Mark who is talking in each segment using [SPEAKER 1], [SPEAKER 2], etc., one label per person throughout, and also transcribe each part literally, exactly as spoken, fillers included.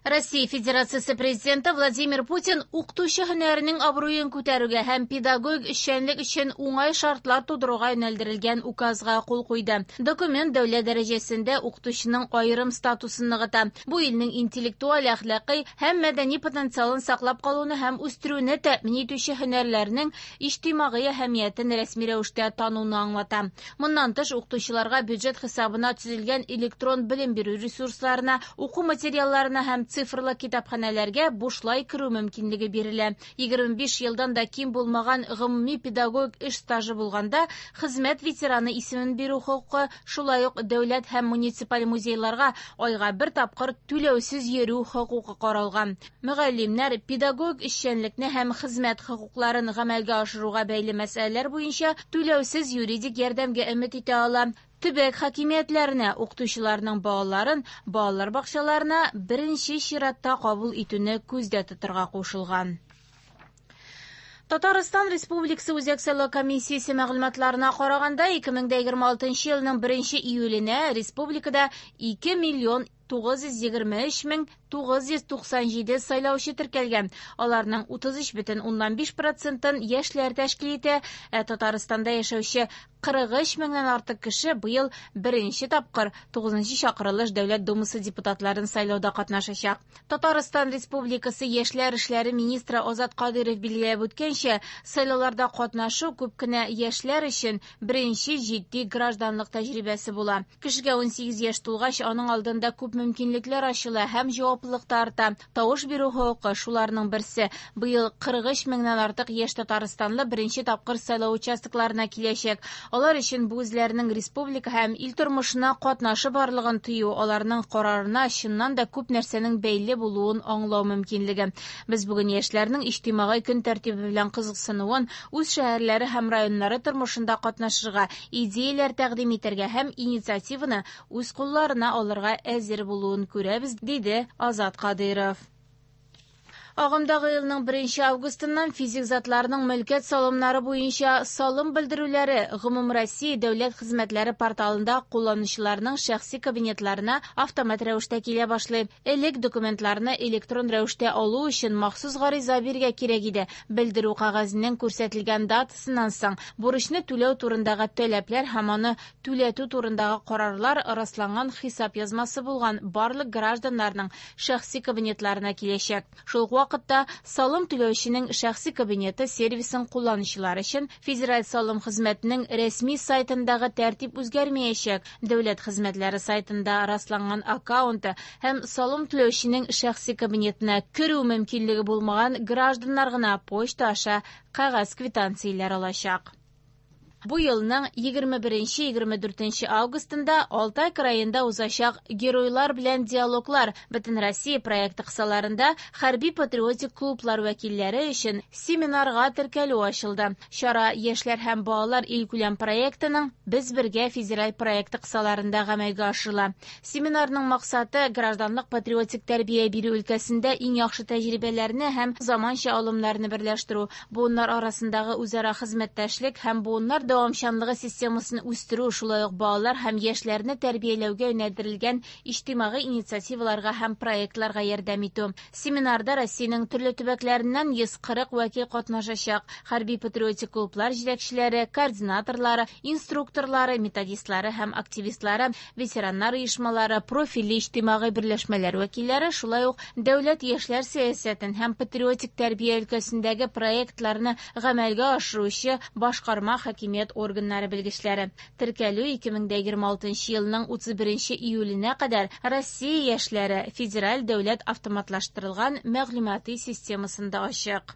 [SPEAKER 1] Россия Федерациясе Президенты Владимир Путин укытучы һөнәренең абруен күтәрүгә һәм педагогик эшчәнлек өчен уңай шартлар тудыруга юнәлдерелгән указга кул куйды. Документ дәүләт дәрәҗәсендә укытучының аерым статусын ныгыта. Бу илнең интеллектуаль, әхлакый һәм мәдәни потенциалын саклап калуны һәм үстерүне тәэмин итүче һөнәрләрнең иҗтимагый әһәмиятен рәсми рәвештә тануны аңлата. Моннан тыш, укытучыларга бюджет хисабына төзелгән электрон белем бирү ресурсларына, уку материалларына һәм цифрлы китапханәләргә бушлай керү мөмкинлеге бирелә. Егерме биш елдан да ким булмаган гомуми педагогик эш стажы булганда хезмәт ветераны исемен бирү хокукы, шулай ук дәүләт һәм муниципаль музейларга айга бер тапкыр түләүсез йөрү хокукы каралган. Мөгаллимнәр педагогик эшчәнлекне һәм хезмәт хокукларын гамәлгә ашыруга бәйле мәсьәләләр буенча түләүсез юридик ярдәмгә өмет итә ала. Төбәк хакимиятләренә укытучыларның балаларын балалар бакчаларына беренче чиратта кабул итүне күздә тотарга кушылган. Татарстан Республикасы Үзәк сайлау комиссиясе мәгълүматларына караганда, ике мең дә егерме алтынчы елның беренче июленә республикада ике миллион тугыз йөз егерме өч мең тугыз йөз туксан җиде сайлаучы теркәлгән. Аларның утыз өч бөтен уннан биш процентын яшьләр тәшкил итә, ә Татарстанда яшәүче кырык өч меңнән артык кеше быел беренче тапкыр тугызынчы чакырылыш Дәүләт Думасы депутатларын сайлауда катнашачак. Татарстан Республикасы Яшьләр эшләре министры Азат Кадыйров билгеләп үткәнчә, сайлауларда катнашу күп кенә яшьләр өчен беренче җитди гражданлык тәҗрибәсе була. Кешегә унсигез яшь тулгач, аның алдында күп мөмкинлекләр ачыла һәм җаваплылык та арта. Тавыш бирү хокукы шуларның берсе. Быел кырык өч меңнән артык яшь татарстанлы беренче тапкыр сайлау участокларына киләчәк. Алар өчен бу үзләренең республика һәм ил тормышына катнашы барлыгын тою, аларның карарына чыннан да күп нәрсәнең бәйле булуын аңлау мөмкинлеге. Без бүген яшьләрнең иҗтимагый көн тәртибе белән кызыксынуын, үз шәһәрләре һәм районнары тормышында катнашырга, идеяләр тәкъдим итәргә һәм инициативаны үз кулларына алырга әзер булуын күрәбез, диде Азат Кадыйров. Агымдагы елның беренче августыннан физик затларның мөлкәт салымнары буенча салым белдерүләре Гомумроссия дәүләт хезмәтләре порталында кулланучыларның шәхси кабинетларына автомат рәвештә килә башлый. Элек документларны электрон рәвештә алу өчен махсус гариза бирергә кирәк иде. Белдерү кәгазенең күрсәтелгән датасыннан соң бурычны түләү турындагы таләпләр һәм аны түләтү турындагы карарлар расланган хисап язмасы булган барлык гражданнарның шәхси кабинетларына киләчәк. Шул ук вакытта салым түләүченең шәхси кабинеты сервисын кулланучылар өчен Федераль салым хезмәтенең рәсми сайтындагы тәртип үзгәрмәячәк. Дәүләт хезмәтләре сайтында расланган аккаунты һәм салым түләүченең шәхси кабинетына керү мөмкинлеге булмаган гражданнар гына почта аша кәгазь квитанцияләр алачак. Бу елның егерме беренче егерме дүртенче августында Алтай краенда узачак Геройлар белән диалоглар Бөтенроссия проекты кысаларында хәрби патриотик клублар вәкилләре өчен семинарга теркәлү ачылды. Чара Яшьләр һәм балалар илкүләм проектының Без бергә федераль проекты кысаларында гамәлгә ашырыла. Семинарның максаты гражданлык патриотик тәрбия бирү өлкәсендә иң яхшы тәҗрибәләрне һәм заманча алымнарны берләштерү, буыннар арасындагы үзара хезмәттәшлек һәм буыннар дәвамчанлыгы системасын үстерү, шулай ук балалар һәм яшьләрне тәрбияләүгә юнәлдерелгән иҗтимагый инициативаларга һәм проектларга ярдәм итү. Семинарда Россиянең төрле төбәкләреннән йөз кырык вәкил катнашачак. Хәрби патриотик клублар җитәкчеләре, координаторлары, инструкторлары, методистлары һәм активистлары, ветераннар оешмалары, профильле иҗтимагый берләшмәләр вәкилләре, шулай ук дәүләт яшьләр сәясәтен һәм патриотик тәрбия өлкәсендәге проектларны гамәлгә ашыручы башкарма хакимият органнары белгечләре. Теркәлү ике мең дә егерме алтынчы елның утыз беренче июленә кадәр Россия яшьләре федераль дәүләт автоматлаштырылган мәгълүмати системасында ачык.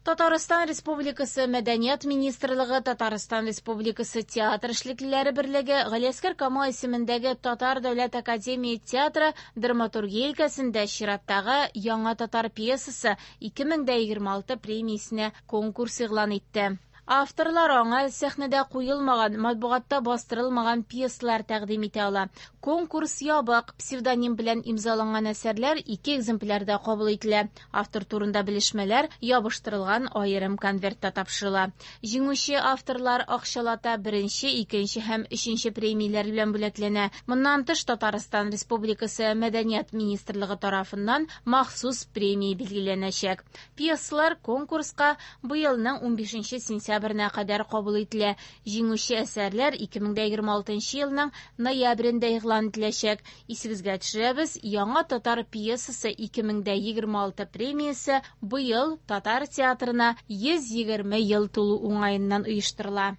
[SPEAKER 1] Татарстан Республикасы Мәдәният министрлыгы, Татарстан Республикасы Театр эшлеклеләре берлеге, Галиәсгар Камал исемендәге Татар дәүләт академия театры драматургия өлкәсендә чираттагы Яңа татар пьесасы ике мең дә егерме алты премиясенә конкурс игълан итте. Авторлар аңа сәхнәдә куелмаган, матбугатта бастырылмаган пьесалар тәкъдим итә ала. Конкурс ябык, псевдоним белән имзаланган әсәрләр ике экземплярда кабул ителә. Автор турында белешмәләр ябыштырылган аерым конвертта тапшырыла. Җиңүче авторлар акчалата беренче, икенче һәм өченче премияләр белән бүләкләнә. Моннан тыш, Татарстан Республикасы Мәдәният министрлыгы тарафыннан махсус премия билгеләнәчәк. Пьесалар конкурска быелның унбишенче сентябренә кадәр кабул ителә. Җиңүче әсәрләр ике мең егерме алтынчы елның ноябрендә игълан ителәчәк. Исегезгә төшерәбез, Яңа татар пьесасы ике мең егерме алты премиясе быел татар театрына йөз егерме ел тулу уңаеннан оештырыла.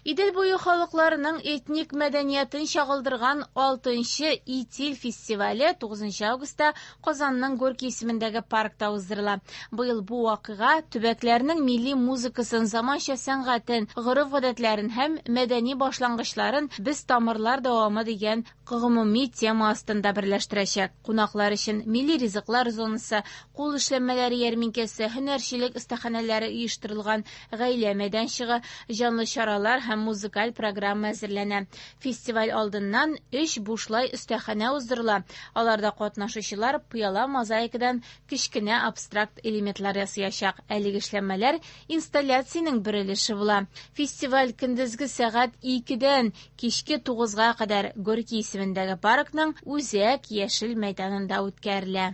[SPEAKER 1] Идел буе халыкларының этник мәдәниятен чагылдырган алтынчы Итил фестивале тугызынчы августта Казанның Горький исемендәге паркта уздырыла. Быел бу вакыйга төбәкләрнең милли музыкасын, заманча сәнгатен, гореф-гадәтләрен һәм мәдәни башлангычларын без тамырлар дәвамы дигән гомуми тема астында берләштерәчәк. Кунаклар өчен милли ризыклар зонасы, кул эшләнмәләре ярминкәсе, һөнәрчелек остаханәләре оештырылган гаилә мәйданчыгы, җанлы чаралар һәм музыкаль программа әзерләнә. Фестиваль алдыннан өч бушлай остаханә уздырыла. Аларда катнашучылар пыяла мозаикадан кечкенә абстракт элементлар ясаячак. Әлеге эшләнмәләр инсталляциянең бер өлеше була. Фестиваль көндезге сәгать икедән кичке тугызга кадәр Горький исемендәге паркның үзәк яшел мәйданында үткәрелә.